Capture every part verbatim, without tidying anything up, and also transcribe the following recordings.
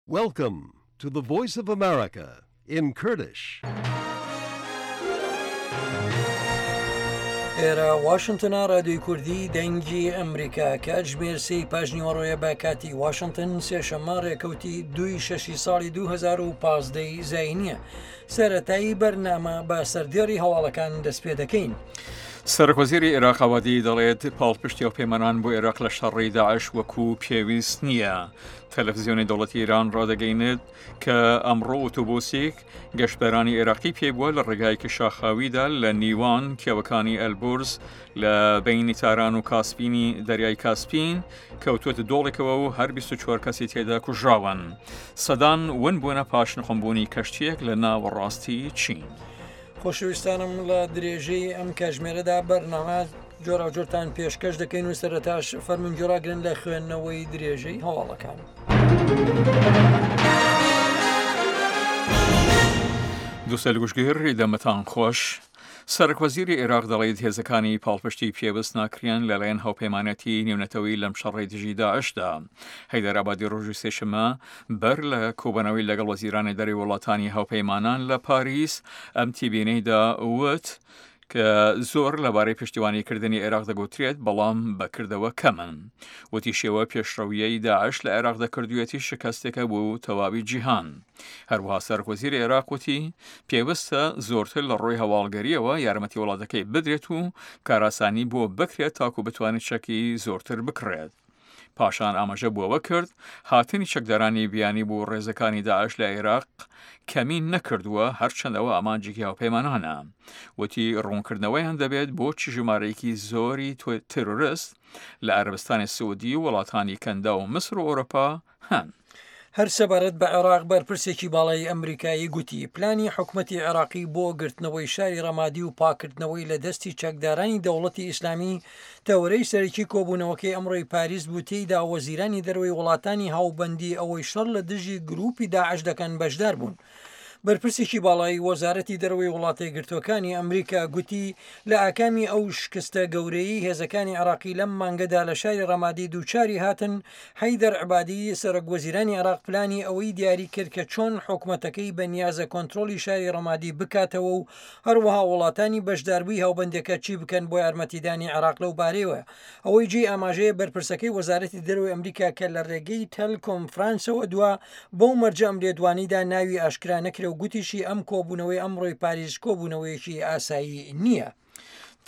Welcome to the Voice of America in Kurdish. ئێرە واشنتنە، رادیۆی کوردی دەنگی ئەمریکا. کاتژمێر سێی پاش نیوەڕۆیە بە کاتی واشنتن، سێشەممە ڕێکەوتی دووی شەشی ساڵی دوو هەزار و پازدە ی زاینیە. سەرەتایی بەرنامە بە سەردێڕی هەواڵەکان دەست پێ دەکەین. سەرۆکوەزیری عێراق عەبادی دەڵێت پاڵپشتی هاوپەیمانان بۆ عێراق لە شەڕی داعش وەکو پێویست نییە. تەلەڤزیۆنی دەوڵەتی ئێران ڕادەگەینێت کە ئەمڕۆ ئۆتۆبوسێک گەشتبارانی عێراقی پێبووە لە ڕێگایەکی شاخاویدا لە نیوان کێوەکانی ئەلبورز لە بەینی تاران و کاسپینی دەریای کاسپین کەوتووەتە دۆڵێکەوە و هەر بیست و چوار کەسی تێدا کوژراون. سەدان ون بوونە پاش نقومبوونی کەشتییەک لە ناوەڕاستی چین. خۆشەویستانم، لە درێژەی ئەم کاتژمێرەدا بەرنامە جۆراوجۆرتان پێشکەش دەکەین و سەرەتاش فەرموون گوێڕاگرن لە خوێندنەوەی درێژەی هەواڵەکان. دووستەیل گوشگر، دەمتان خۆش. سەرۆکوەزیری عێراق دەڵێت هێزەکانی پاڵپشتی پێویست ناکریان لەلایەن هاوپەیمانەتی نێونەتەوەی لەم شەڕی دژی داعشدا. هەیدەر ئابادی ڕۆژی سێشەممە بەر لە کۆبوونەوەی لەگەڵ وەزیرانی دەرەوەی وڵاتانی هاوپەیمانان لە پاریس ئەم تیبینەیدا وت کە زۆر لەبارەی پشتیوانیکردنی عێراق دەگوترێت، بەڵام بەکردەوە کەمن. وتیشیەوە پێشڕەویەی داعش لە عێراق دەکردوێتی شکستێکە بۆ تەواوی جیهان. هەروەها سەرۆکوەزیری عێراق وتی پێویستە زۆرتر لە ڕووی هەواڵگەریەوە یارمەتی وڵاتەکەی بدرێت و کاراسانی بۆ بکرێت تاکو بتوانێت چەکی زۆرتر بکڕێت. پاشان ئاماژە بۆ ئەوە کرد هاتنی چەکدارانی بیانی بۆ ڕێزەکانی داعش لە عێراق کەمی نەکردووە، هەرچەندەوە ئامانجێکی هاوپەیمانانە. وتی ڕوونکردنەوەیان دەبێت بۆچی ژمارەیەکی زۆری تیرۆرست لە عەربستانی سعودی و وڵاتانی کەندا و میسر و ئەوروپا هەن. هەر سەبارەت بە عێراق، بەرپرسێکی باڵای ئەمریکایی گوتی پلانی حکومەتی عێراقی بۆ گرتنەوەی شاری ڕەمادی و پاکردنەوەی لە دەستی چەکدارانی دەوڵەتی ئیسلامی تەوەرەی سەرەکی کۆبوونەوەکەی ئەمڕۆی پاریس بوو، تێیدا وەزیرانی دەرەوەی وڵاتانی هاوبەندی ئەوەی شەڕ لە دژی گروپی داعش دەکەن بەشدار بوون. بەرپرسێکی باڵایی وەزارەتی دەرەوەی وڵاتە یەکگرتووەکانی ئەمریکا گوتی لە ئاکامی ئەو شکستە گەورەی هێزەکانی عێراقی لەم مانگەدا لە شاری ڕەمادی دووچاری هاتن، حەیدەر عبادی سەرۆک وەزیرانی عێراق پلانی ئەوەی دیاری کرد کە چۆن حکومەتەکەی بە نیازە کۆنترۆڵی شاری ڕەمادی بکاتەوە و هەروەها وڵاتانی بەشداربووی هاوبەندەکە چی بکەن بۆ یارمەتیدانی عێراق لەو بارەیەوە. ئەوەی جێی ئاماژەیە، بەرپرسەکەی وەزارەتی دەرەوەی ئەمریکا کە لە ڕێگەی تەلکۆنفرانسەوە دوا، بەو مەرجە ئەم لێدوانیدا ناوی ئاشکرا نەکرێ و گوتیشی ئەم کۆبوونەوەی ئەمڕۆی پاریس کۆبوونەوەیەکی ئاسایی نییە.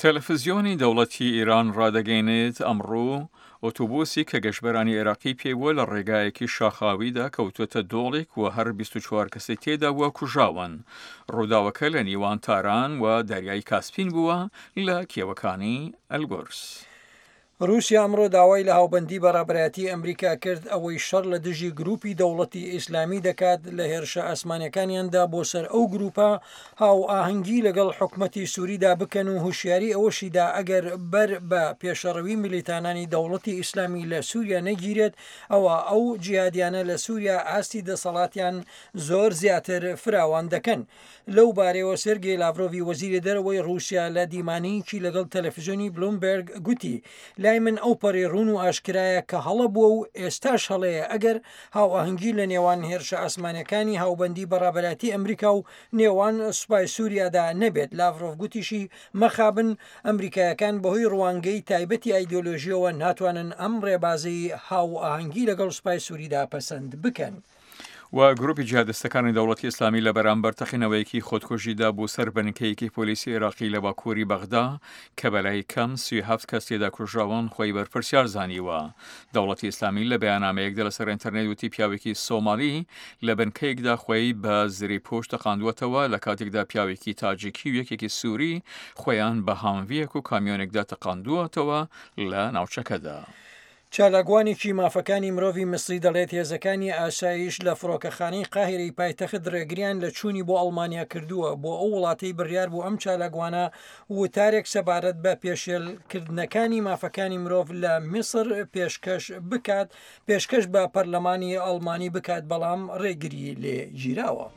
تەلەفزیۆنی دەوڵەتی ئێران ڕادەگەینێت ئەمڕۆ ئۆتۆبوسی کە گەشتبەرانی عێراقی پێبووە لە ڕێگایەکی شاخاویدا کەوتووەتە دۆڵێک و هەر بیست و چوار کەسی تێدا بووە کوژاون. ڕووداوەکە لە نیوان تاران و دەریای کاسپین بووە لە کێوەکانی ئەلبورز. رووسیا ئەمڕۆ داوای لە هاوبەندی بەڕابەرایەتی ئەمریکا کرد ئەوەی شەڕ لە دژی گروپی دەوڵەتی ئیسلامی دەکات، لە هێرشە ئاسمانیەکانیاندا بۆ سەر ئەو گروپە هاوئاهەنگی لەگەڵ حکومەتی سووریدا بکەن و هوشیاری ئەوەشیدا ئەگەر بەر بە پێشەڕەوی میلیتانانی دەوڵەتی ئیسلامی لە سووریا نەگیرێت، ئەوە ئەو جیهادیانە لە سووریا ئاستی دەسەڵاتیان زۆر زیاتر فراوان دەکەن. لەو بارەیەوە سێرگی لاڤرۆڤی وەزیری دەرەوەی رووسیا لە دیمانەیەکی لەگەڵ تەلەفزیۆنی بلومبێرگ گوتی لای من ئەو پەڕی ڕوون و ئاشکرایە کە هەڵە بووە و ئێستاش هەڵەیە ئەگەر هاوئاهەنگی لە نێوان هێرشە ئاسمانەکانی هاوبەندی بەڕابەراتی ئەمریکا و نێوان سوپای سووریادا نەبێت. لاڤرۆڤ گوتیشی مەخابن ئەمریکایەکان بەهۆی ڕوانگەی تایبەتی ئایدۆلۆژیەوە ناتوانن ئەم ڕێبازی هاوئاهەنگی لەگەڵ سوپای سووریدا پەسەند بکەن. و گروپی جیهادستەکانی دەوڵەتی ئیسلامی لە بەرامبەر تەقینەوەیەکی خۆدکوژیدا بۆ سەر بنکەیەکی پۆلیسی عێراقی لە باکووری بەغدا کە بەلای کەم سی هەفت کەس تێدا کوژراون خۆی بەرپرسیار زانیوە. دەوڵەتی ئیسلامی لە بەیاننامەیەکدا لەسەر ئینتەرنێت وتی پیاوێکی سۆمالی لە بنکەیەکدا خۆی بە زرێپۆش تەقاندووەتەوە، لە کاتێکدا پیاوێکی تاجیکی و یەکێکی سووری خۆیان بە هامڤیەک و کامیۆنێکدا تەقاندووەتەوە لە ناوچەکەدا. چالاکوانێکی مافەکانی مرۆڤی میسری دەڵێت هێزەکانی ئاسایش لە فڕۆکەخانەی قاهیرەی پایتەخت ڕێگریان لە چوونی بۆ ئەڵمانیا کردووە، بۆ ئەو وڵاتەی بڕیار بوو ئەم چالاکوانە وتارێک سەبارەت بە پێشێلکردنەکانی مافەکانی مرۆڤ لە میسر پێشکەش بکات پێشکەش بە پەرلەمانی ئەڵمانی بکات، بەڵام ڕێگری لێ گیراوە.